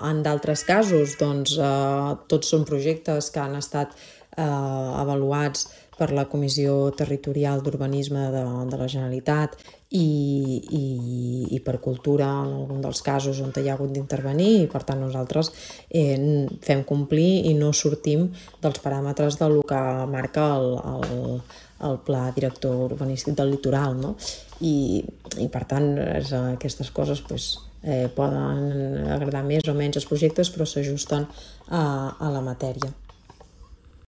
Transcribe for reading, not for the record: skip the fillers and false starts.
En d'altres casos, doncs, tots són projectes que han estat avaluats per la Comissió Territorial d'Urbanisme de la Generalitat i per Cultura en algun dels casos on hi ha hagut d'intervenir, i per tant nosaltres fem complir i no sortim dels paràmetres del que marca el Pla Director Urbanístic del Litoral, no? I per tant aquestes coses poden agradar més o menys els projectes, però s'ajusten a la matèria.